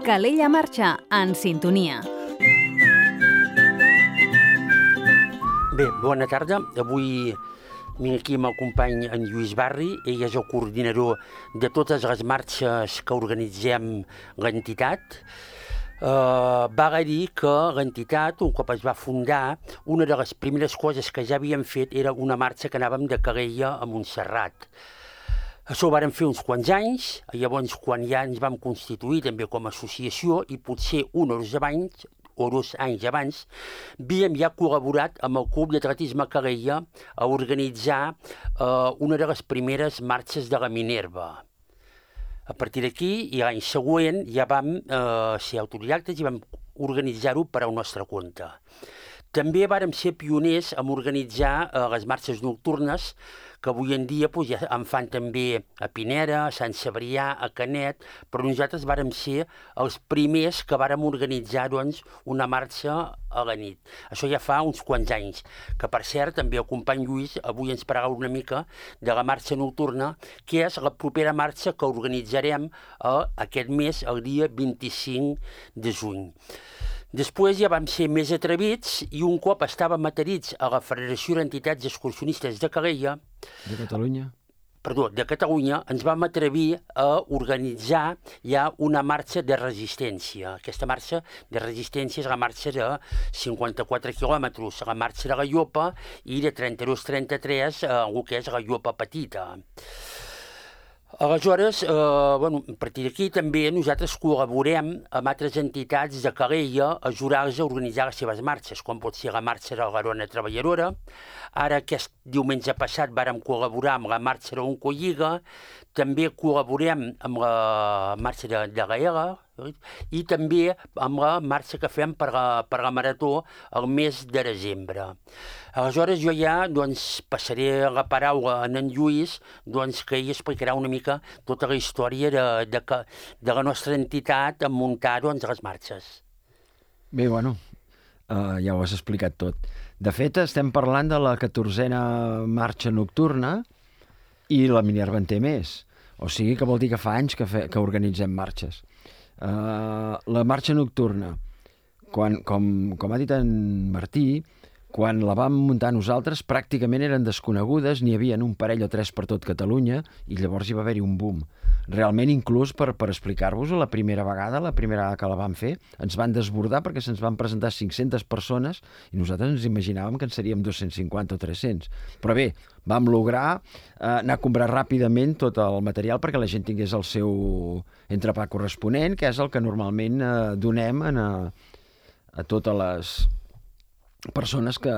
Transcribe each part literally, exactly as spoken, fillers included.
Calella Marxa, en sintonia. Bé, bona tarda. Avui vinc aquí amb el company en Lluís Barri. Ell és el coordinador de totes les marxes que organitzem l'entitat. Uh, val a dir que l'entitat, un cop es va fundar, una de les primeres coses que ja havíem fet era una marxa que anàvem de Calella a Montserrat. Això ho vàrem fer uns quants anys, llavors quan ja ens vam constituir també com a associació i potser un o dos anys, o dos anys abans, havíem ja col·laborat amb el Club d'Atletisme Calella a organitzar uh, una de les primeres marxes de la Minerva. A partir d'aquí, i l'any següent, ja vam uh, ser autodidactes i vam organitzar-ho per al nostre compte. També vàrem ser pioners en organitzar uh, les marxes nocturnes, que avui en dia pues, ja en fan també a Pineda, a Sant Cebrià, a Canet, però nosaltres vàrem ser els primers que vàrem organitzar doncs, una marxa a la nit. Això ja fa uns quants anys, que per cert també el company Lluís avui ens parlarà una mica de la marxa nocturna, que és la propera marxa que organitzarem eh, aquest mes, el dia vint-i-cinc de juny. Després ja vam ser més atrevits i un cop estàvem adherits a la Federació d'Entitats Excursionistes de Calella, de Catalunya, perdó, de Catalunya, ens vam atrevir a organitzar ja una marxa de resistència. Aquesta marxa de resistència és la marxa de cinquanta-quatre quilòmetres, la marxa de la Llopa, i de trenta-dos a trenta-tres eh, el que és la Llopa Petita. Aleshores, eh, bueno, a partir d'aquí també nosaltres col·laborem amb altres entitats de Calella a ajudar-los a organitzar les seves marxes, com pot ser la marxa de la Garona Treballadora. Ara, aquest diumenge passat, vàrem col·laborar amb la marxa de l'Oncolliga, també col·laborem amb la marxa de, de la E L A i també amb la marxa que fem per la, per la Marató el mes de desembre. Aleshores, jo ja doncs, passaré la paraula a en Lluís, doncs, que ell explicarà una mica tota la història de, de, de la nostra entitat en muntar doncs, les marxes. Bé, bueno, uh, ja ho has explicat tot. De fet, estem parlant de la catorzena marxa nocturna i la Minerva en té més. O sigui que vol dir que fa anys que, fe, que organitzem marxes. Uh, la marxa nocturna, quan, com, com ha dit en Martí, quan la vam muntar nosaltres pràcticament eren desconegudes, n'hi havia un parell o tres per tot Catalunya i llavors hi va haver-hi un boom. Realment, inclús per, per explicar-vos-ho, la primera vegada, la primera vegada que la vam fer, ens van desbordar perquè se'ns van presentar cinc-centes persones i nosaltres ens imaginàvem que en seríem dos-cents cinquanta o tres-cents. Però bé, vam lograr eh, anar a comprar ràpidament tot el material perquè la gent tingués el seu entrepà corresponent, que és el que normalment eh, donem a, a totes les persones que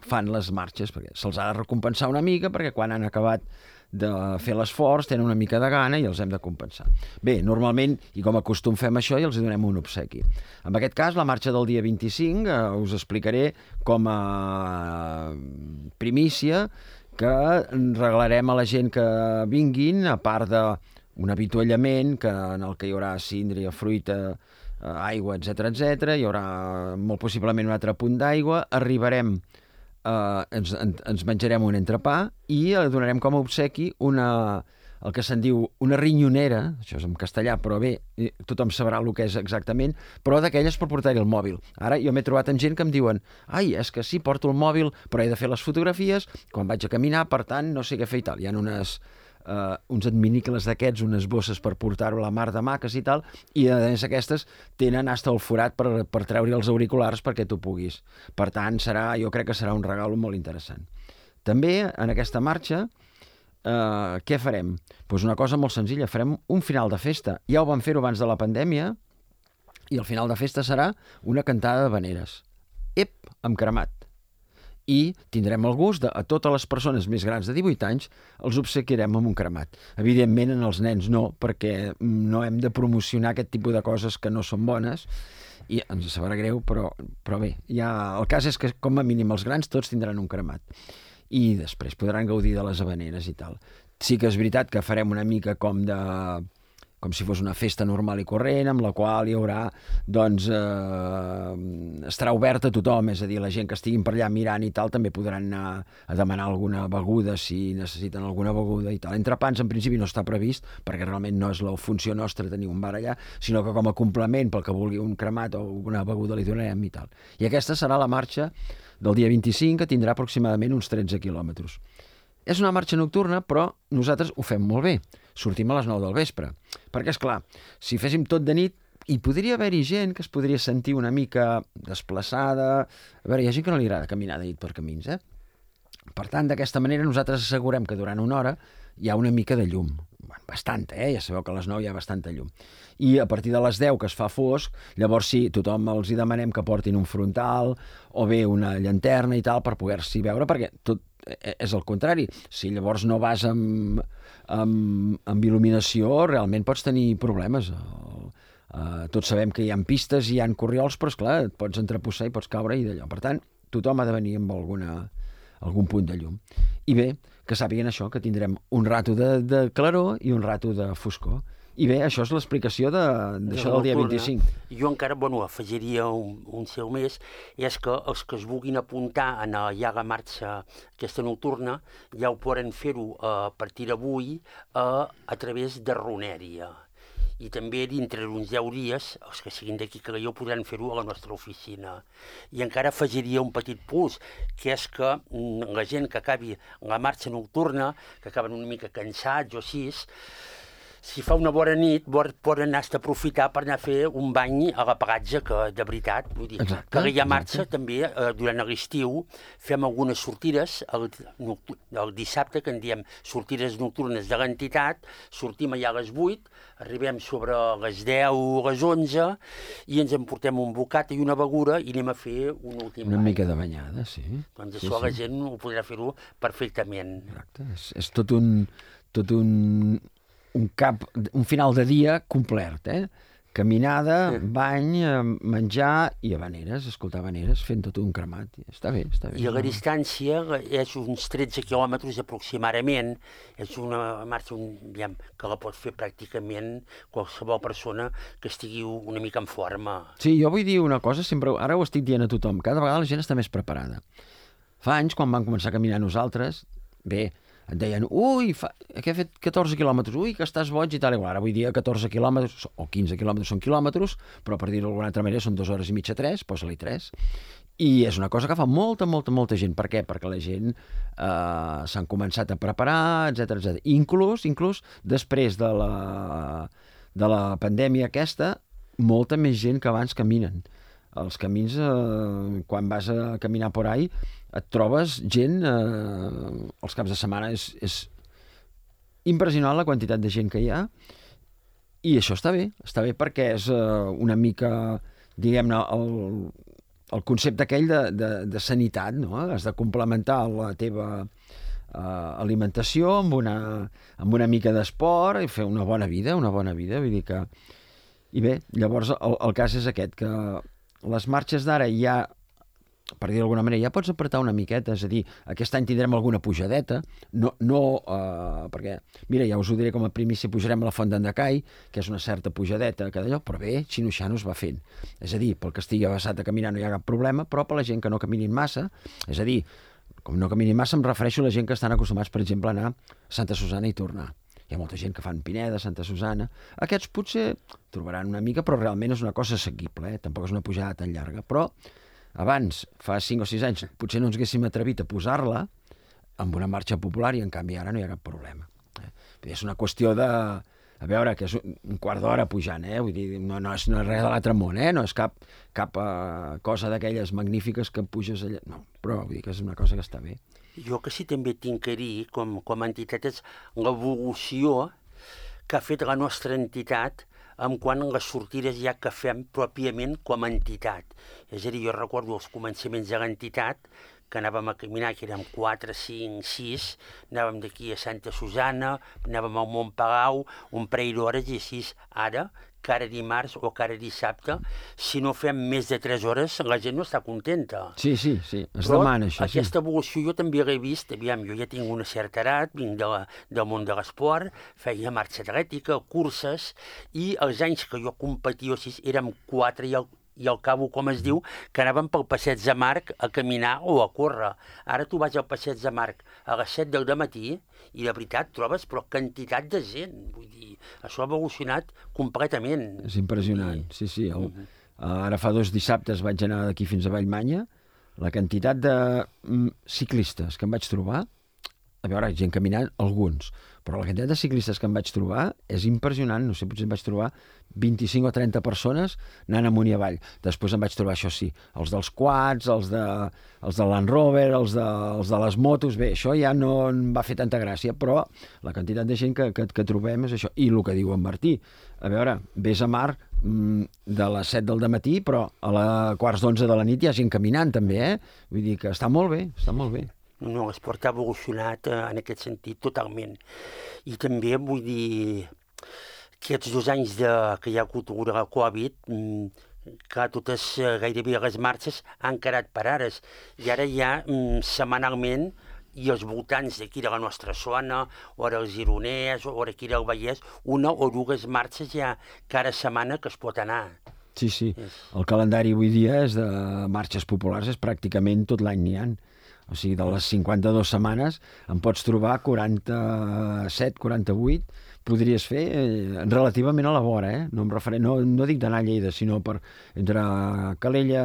fan les marxes, perquè se'ls ha de recompensar una mica, perquè quan han acabat de fer l'esforç tenen una mica de gana i els hem de compensar. Bé, normalment, i com a costum fem això, i els donem un obsequi. En aquest cas, la marxa del dia vint-i-cinc, eh, us explicaré com a primícia que regalarem a la gent que vinguin, a part d'un avituallament que, en el que hi haurà síndria, fruita, aigua, etcètera, etcètera. Hi haurà molt possiblement un altre punt d'aigua. Arribarem, eh, ens, ens menjarem un entrepà i donarem com a obsequi una, el que se'n diu una rinyonera, això és en castellà, però bé, tothom sabrà el que és exactament, però d'aquelles per portar-hi el mòbil. Ara jo m'he trobat amb gent que em diuen ai, és que sí, porto el mòbil, però he de fer les fotografies quan vaig a caminar, per tant, no sé què fer i tal. Hi ha unes... Uh, uns adminicles d'aquests, unes bosses per portar-ho a la mar de maques i tal, i a més aquestes tenen hasta el forat per, per treure els auriculars perquè tu puguis. Per tant, serà, jo crec que serà un regal molt interessant. També, en aquesta marxa, uh, què farem? Pues una cosa molt senzilla, farem un final de festa. Ja ho vam fer-ho abans de la pandèmia, i el final de festa serà una cantada d'havaneres. Ep, amb cremat. I tindrem el gust de, a totes les persones més grans de divuit anys, els obsequiarem amb un cremat. Evidentment, en els nens no, perquè no hem de promocionar aquest tipus de coses que no són bones, i ens sabrà greu, però, però bé, ja, el cas és que com a mínim els grans tots tindran un cremat. I després podran gaudir de les havaneres i tal. Sí que és veritat que farem una mica com de com si fos una festa normal i corrent, amb la qual hi haurà, doncs, eh, estarà oberta a tothom, és a dir, la gent que estiguin per allà mirant i tal, també podran anar a demanar alguna beguda, si necessiten alguna beguda i tal. Entrepans, en principi, no està previst, perquè realment no és la funció nostra tenir un bar allà, sinó que com a complement pel que vulgui un cremat o alguna beguda li donarem i tal. I aquesta serà la marxa del dia vint-i-cinc, que tindrà aproximadament uns tretze quilòmetres. És una marxa nocturna, però nosaltres ho fem molt bé. Sortim a les nou del vespre. Perquè, és clar, si féssim tot de nit, hi podria haver-hi gent que es podria sentir una mica desplaçada. A veure, hi ha gent que no li agrada caminar de nit per camins, eh? Per tant, d'aquesta manera nosaltres assegurem que durant una hora hi ha una mica de llum. Bastanta, eh? Ja sabeu que a les nou hi ha bastanta llum. I a partir de les deu, que es fa fosc, llavors sí, tothom els hi demanem que portin un frontal o bé una llanterna i tal per poder-s'hi veure, perquè tot és el contrari. Si llavors no vas amb, amb, amb il·luminació, realment pots tenir problemes. Uh, tots sabem que hi ha pistes i hi ha corriols, però esclar, et pots entreposar i pots caure i d'allò. Per tant, tothom ha de venir amb alguna, algun punt de llum. I bé, que sàpiguen això, que tindrem un rato de, de claror i un rato de foscor. I bé, això és l'explicació d'això del dia vint-i-cinc. Jo encara, bueno, afegiria un, un seu més, és que els que es vulguin apuntar en la Iaga Marxa aquesta nocturna ja ho poden fer-ho a partir d'avui a, a través de Runèria. I també dintre d'uns deu dies, els que siguin d'aquí que jo podran fer-ho a la nostra oficina. I encara afegiria un petit plus, que és que la gent que acabi la marxa nocturna, que acaben una mica cansats o així, si fa una bona nit, poden anar a aprofitar per anar a fer un bany a la pagatge, que de veritat, vull dir, exacte, que hi ha marxa exacte. També, eh, durant l'estiu, fem algunes sortides, el, el dissabte, que en diem sortides nocturnes de l'entitat, sortim allà a les vuit, arribem sobre les deu o les onze, i ens emportem un bocat i una beguda i anem a fer un últim Una bany. mica de banyada, sí. Doncs sí, això sí. La gent ho podrà fer-ho perfectament. Exacte, és, és tot un... Tot un... un cap, un final de dia complet, eh? Caminada, sí. Bany, menjar i habaneres, escoltar habaneres, fent tot un cremat. Està bé, està bé. I la distància és uns tretze quilòmetres aproximadament. És una marxa un, diguem, que la pot fer pràcticament qualsevol persona que estigui una mica en forma. Sí, jo vull dir una cosa, sempre, ara ho estic dient a tothom, cada vegada la gent està més preparada. Fa anys, quan vam començar a caminar nosaltres, bé, et deien, ui, fa, que he fet catorze quilòmetres, ui, que estàs boig i tal, igual. Ara vull dir catorze quilòmetres, o quinze quilòmetres són quilòmetres, però per dir-ho d'alguna altra manera són dues hores i mitja, tres, posa-li tres. I és una cosa que fa molta, molta, molta gent. Per què? Perquè la gent eh, s'han començat a preparar, etcètera, etcètera. Inclús, inclús, després de la, de la pandèmia aquesta, molta més gent que abans caminen. Els camins, eh, quan vas a caminar por ahí, et trobes gent, eh, els caps de setmana és, és impressionant la quantitat de gent que hi ha, i això està bé, està bé perquè és eh, una mica, diguem-ne, el, el concepte aquell de, de, de sanitat, no? Has de complementar la teva eh, alimentació amb una, amb una mica d'esport i fer una bona vida, una bona vida, vull dir que... I bé, llavors el, el cas és aquest, que les marxes d'ara ja, per dir d'alguna manera, ja pots apretar una miqueta, és a dir, aquest any tindrem alguna pujadeta, no, no eh, perquè, mira, ja us ho diré com a primícia, pujarem a la Font d'Endacai, que és una certa pujadeta, que d'allò, però bé, xino-xano es va fent. És a dir, pel que estigui avasat a caminar no hi ha cap problema, però per la gent que no caminin massa, és a dir, com no caminin massa em refereixo a la gent que estan acostumats, per exemple, a anar a Santa Susana i tornar. Hi ha molta gent que fan Pineda, Santa Susana. Aquests potser trobaran una mica, però realment és una cosa assequible, eh? Tampoc és una pujada tan llarga. Però abans, fa cinc o sis anys, potser no ens haguéssim atrevit a posar-la amb una marxa popular i en canvi ara no hi ha cap problema. Eh? És una qüestió de... A veure, que és un quart d'hora pujant, eh? Vull dir, no, no, és, no és res de l'altre món, eh? No és cap, cap uh, cosa d'aquelles magnífiques que puges allà. No, però vull dir que és una cosa que està bé. Jo que sí també tinc a dir, com, com a entitat, és l'evolució que ha fet la nostra entitat en quant a les sortides ja que fem pròpiament com a entitat. És a dir, jo recordo els començaments de l'entitat, que anàvem a caminar, que érem quatre, cinc, sis, anàvem d'aquí a Santa Susana, anàvem al Montpalau, un parell d'hores i així. Ara cada dimarts o cada dissabte, si no fem més de tres hores, la gent no està contenta. Sí, sí, sí, es Però demana això. aquesta sí. evolució jo també l'he vist, aviam, jo ja tinc una certa edat, vinc de la, del món de l'esport, feia marxa atlètica, curses, i els anys que jo competia així érem quatre i el i al cabo, com es diu, que anàvem pel passeig de Marc a caminar o a córrer. Ara tu vas al passeig de Marc a les set del matí i de veritat trobes però quantitat de gent. Vull dir, això ha evolucionat completament. És impressionant, sí, sí. El, ara fa dos dissabtes vaig anar d'aquí fins a Vallmanya, la quantitat de mm, ciclistes que em vaig trobar, a veure, gent caminant, alguns, però la quantitat de ciclistes que em vaig trobar és impressionant, no sé, potser em vaig trobar vint-i-cinc o trenta persones anant amunt i avall. Després em vaig trobar, això sí, els dels quads, els de, els de Land Rover, els de, els de les motos, bé, això ja no em va fer tanta gràcia, però la quantitat de gent que, que, que trobem és això. I el que diu en Martí, a veure, vés a Mar mm, de les set del matí, però a la quarts d'onze de la nit hi ha gent caminant també, eh? Vull dir que està molt bé, està molt bé. No, l'esport ha evolucionat eh, en aquest sentit totalment. I també vull dir aquests dos anys de, que hi ha hagut la Covid, mm, que totes eh, gairebé les marxes han quedat parades. I ara hi ha mm, setmanalment i als voltants d'aquí de la nostra zona, o ara el Gironès, o ara aquí del Vallès, una o dues marxes ja cada setmana que es pot anar. Sí, sí. El calendari avui dia és de marxes populars, és pràcticament tot l'any n'hi ha. O sigui, de les cinquanta-dues setmanes en pots trobar quaranta-set, quaranta-vuit, podries fer eh, relativament a la vora, eh? No, em referent, no, no dic d'anar a Lleida, sinó per entre Calella,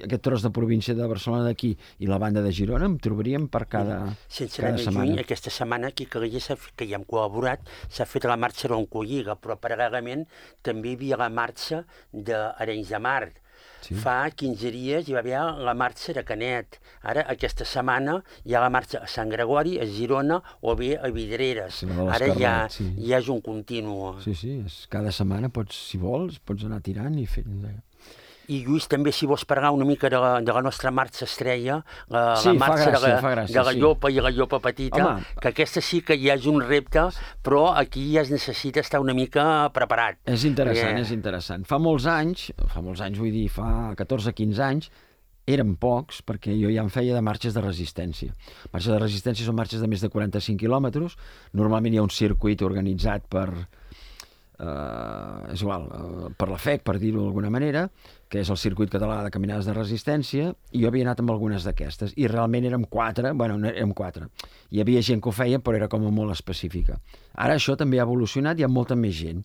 aquest tros de província de Barcelona d'aquí i la banda de Girona, em trobaríem per cada, Sense cada anar setmana. Lluny, aquesta setmana aquí a Calella, que hi hem col·laborat, s'ha fet la marxa d'Oncolliga, però paral·lelament també hi havia la marxa d'Arenys de Mar. Sí. Fa quinze dies hi va haver la marxa de Canet. Ara, aquesta setmana, hi ha la marxa a Sant Gregori, a Girona o bé a Vidreres. Sí, ara ja, sí. ja és un continu. Sí, sí, és, cada setmana pots, si vols, pots anar tirant i fent... I Lluís, també si vols parlar una mica de la, de la nostra marxa estrella, la, sí, la marxa gràcia, de la, gràcia, de la sí. llopa i la llopa petita, Home, que aquesta sí que ja és un repte, però aquí ja es necessita estar una mica preparat. És interessant, yeah. és interessant. Fa molts anys, fa molts anys vull dir, fa catorze quinze anys, eren pocs, perquè jo ja em feia de marxes de resistència. Marxes de resistència són marxes de més de quaranta-cinc quilòmetres, normalment hi ha un circuit organitzat per... Uh, és igual, uh, per la F E C, per dir-ho d'alguna manera, que és el circuit català de caminades de resistència, i jo havia anat amb algunes d'aquestes, i realment érem quatre, bueno, no érem quatre. Hi havia gent que ho feia, però era com a molt específica. Ara això també ha evolucionat, hi ha molta més gent.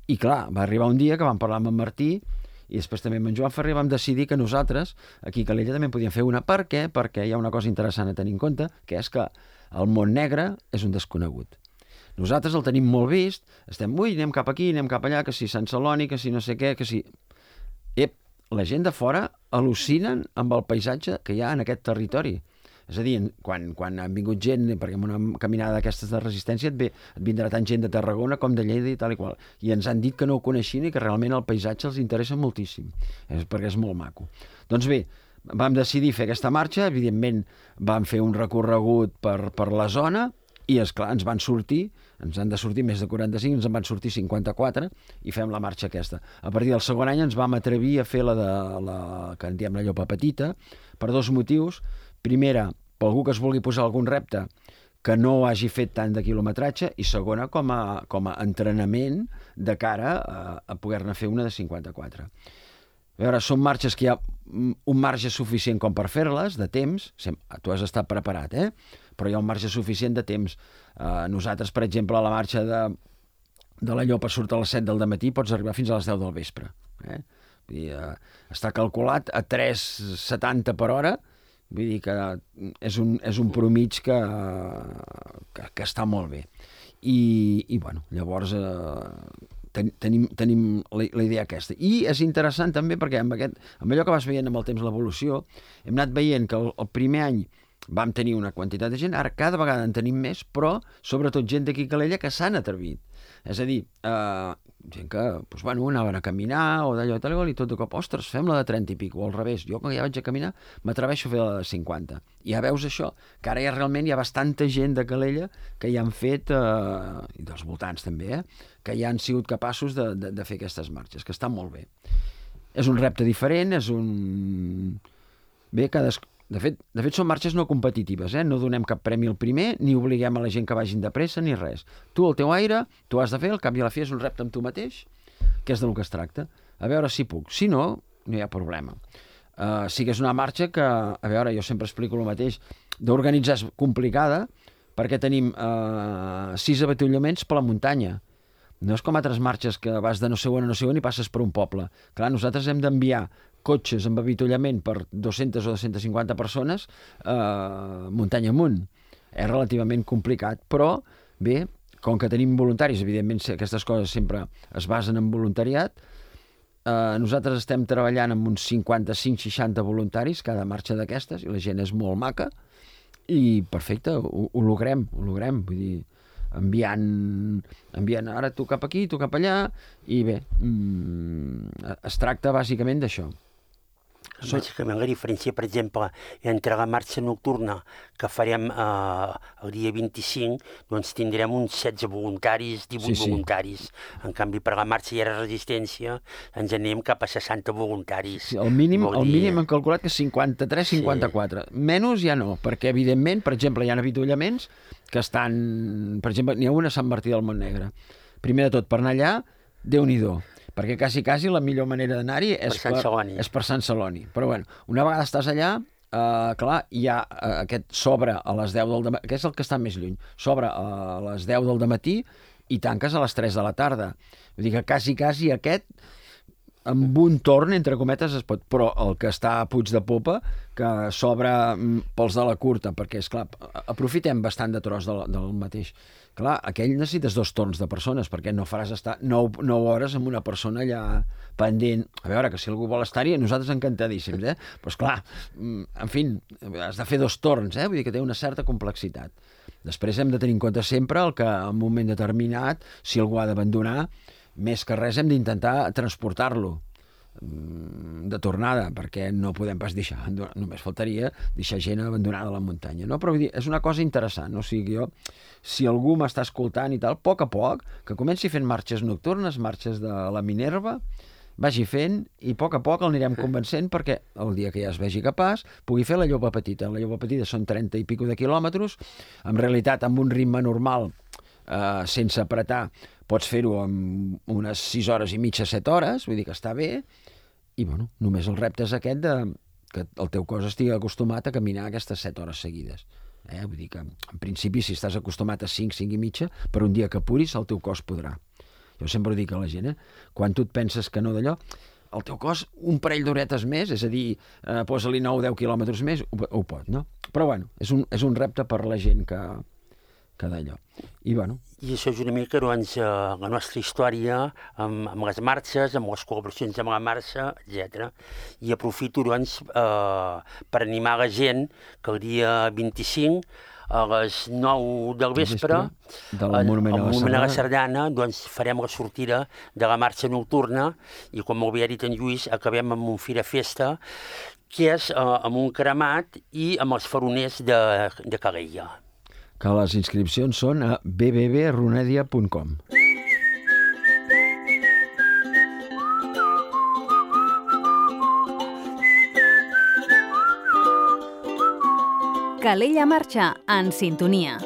I clar, va arribar un dia que vam parlar amb en Martí, i després també amb en Joan Ferrer vam decidir que nosaltres, aquí a Calella, també podíem fer una. Per què? Perquè hi ha una cosa interessant a tenir en compte, que és que el món negre és un desconegut. Nosaltres el tenim molt vist, estem, ui, anem cap aquí, anem cap allà, que si Sant Celoni, que si no sé què, que si... Ep, la gent de fora al·lucinen amb el paisatge que hi ha en aquest territori. És a dir, quan, quan han vingut gent, perquè en una caminada d'aquestes de resistència et, ve, et vindrà tant gent de Tarragona com de Lleida i tal i qual. I ens han dit que no ho coneixien i que realment el paisatge els interessa moltíssim, és perquè és molt maco. Doncs bé, vam decidir fer aquesta marxa, evidentment vam fer un recorregut per, per la zona, i, esclar, ens van sortir, ens han de sortir més de quaranta-cinc, ens en van sortir cinquanta-quatre i fem la marxa aquesta. A partir del segon any ens vam atrevir a fer la de la, que en diem la llopa petita, per dos motius. Primera, per algú que es vulgui posar algun repte que no hagi fet tant de quilometratge, i segona, com a, com a entrenament de cara a, a poder-ne fer una de cinquanta-quatre. A veure, són marxes que hi ha un marge suficient com per fer-les, de temps, tu has estat preparat, eh? Però hi ha un marge suficient de temps. Uh, nosaltres, per exemple, a la marxa de, de la Llopa surt a les set del matí, pots arribar fins a les deu del vespre. Eh? Vull dir, uh, està calculat a tres coma setanta per hora, vull dir que és un, és un promig que, que, que està molt bé. I, i bueno, llavors... Uh, Ten, tenim, tenim la, la idea aquesta. I és interessant també perquè amb, aquest, amb allò que vas veient amb el temps l'evolució, hem anat veient que el, el primer any vam tenir una quantitat de gent, ara cada vegada en tenim més, però sobretot gent d'aquí a Calella que s'han atrevit. És a dir, eh, gent que, doncs, bueno, anaven a caminar o d'allò i tal, i tot de cop, ostres, fem la de trenta i pico, o al revés, jo quan ja vaig a caminar m'atreveixo a fer la de cinquanta. I ja veus això, que ara ja realment hi ha bastanta gent de Calella que ja han fet, eh, i dels voltants també, eh, que ja han sigut capaços de, de, de fer aquestes marxes, que estan molt bé. És un repte diferent, és un... Bé, cadascú... De fet, de fet, són marxes no competitives, eh? No donem cap premi al primer, ni obliguem a la gent que vagin de pressa, ni res. Tu, el teu aire, tu has de fer, al cap i a la fi és un repte amb tu mateix, que és del que es tracta. A veure si puc. Si no, no hi ha problema. Uh, sí que és una marxa que, a veure, jo sempre explico el mateix, d'organitzar és complicada, perquè tenim uh, sis avituallaments per la muntanya. No és com altres marxes que vas de no sé on a no sé on i passes per un poble. Clar, nosaltres hem d'enviar cotxes amb avituallament per dues-centes o dues-centes cinquanta persones eh, muntanya amunt. És relativament complicat, però bé, com que tenim voluntaris, evidentment aquestes coses sempre es basen en voluntariat, eh, nosaltres estem treballant amb uns cinquanta-cinc seixanta voluntaris cada marxa d'aquestes, i la gent és molt maca, i perfecte, ho, ho logrem, ho logrem, vull dir, enviant, enviant ara tu cap aquí, tu cap allà, i bé, mm, es tracta bàsicament d'això. Bàsicament la diferència, per exemple, entre la marxa nocturna que farem eh, el dia vint-i-cinc, doncs tindrem uns setze voluntaris, divuit Sí, sí. voluntaris. En canvi, per la marxa i la resistència ens anem cap a seixanta voluntaris. Sí, el mínim, Vol el dir- mínim hem calculat que és cinquanta-tres cinquanta-quatre. Sí. Menys ja no, perquè evidentment, per exemple, hi ha avituallaments que estan... Per exemple, n'hi ha una a Sant Martí del Montnegre. Primer de tot, per anar allà, Déu-n'hi-do, perquè quasi, quasi la millor manera d'anar-hi és, Sant Celoni. és per Sant Celoni. Però bueno, una vegada estàs allà, eh, clar, hi ha eh, aquest s'obre a les deu del dematí, que és el que està més lluny, s'obre a les deu del dematí i tanques a les tres de la tarda. Vull dir que quasi, quasi aquest amb un torn, entre cometes, es pot... Però el que està a Puig de Popa, que s'obre mm, pels de la curta, perquè, és clar, aprofitem bastant de tros del, del mateix. Clar, aquell necessites dos torns de persones, perquè no faràs estar nou, nou hores amb una persona allà pendent. A veure, que si algú vol estar-hi, nosaltres encantadíssims, eh? Però, esclar, mm, en fi, has de fer dos torns, eh? Vull dir que té una certa complexitat. Després hem de tenir en compte sempre el que, en un moment determinat, si algú ha d'abandonar, més que res hem d'intentar transportar-lo de tornada, perquè no podem pas deixar, només faltaria deixar gent abandonada a la muntanya, no? Però vull dir, és una cosa interessant, no? O sigui, jo, si algú m'està escoltant i tal, a poc a poc, que comenci fent marxes nocturnes, marxes de la Minerva, vagi fent i a poc a poc el anirem convencent perquè el dia que ja es vegi capaç pugui fer la Llopa Petita. La Llopa Petita són trenta i pico de quilòmetres, en realitat amb un ritme normal, eh, sense apretar, pots fer-ho en unes sis hores i mitja, set hores, vull dir que està bé, i bueno, només el repte és aquest de que el teu cos estigui acostumat a caminar aquestes set hores seguides. Eh? Vull dir que, en principi, si estàs acostumat a cinc, cinc i mitja, per un dia que apuris, el teu cos podrà. Jo sempre ho dic a la gent, eh? Quan tu et penses que no d'allò, el teu cos un parell d'horetes més, és a dir, eh, posa-li nou o deu quilòmetres més, ho, ho pot, no? Però bueno, és un, és un repte per la gent que, que d'allò. I bueno... I això és una mica, doncs, eh, la nostra història amb, amb les marxes, amb les col·laboracions amb la marxa, etcètera. I aprofito, doncs, eh, per animar la gent que el dia vint-i-cinc, a les nou del vespre, del Monument a la Monument a la Sardana, Sardana, doncs farem la sortida de la marxa nocturna i, com molt bé ha dit en Lluís, acabem amb un fira festa, que és eh, amb un cremat i amb els faroners de, de Calella. Que les inscripcions són a b b b punt runedia punt com. Calella Marxa, en sintonia.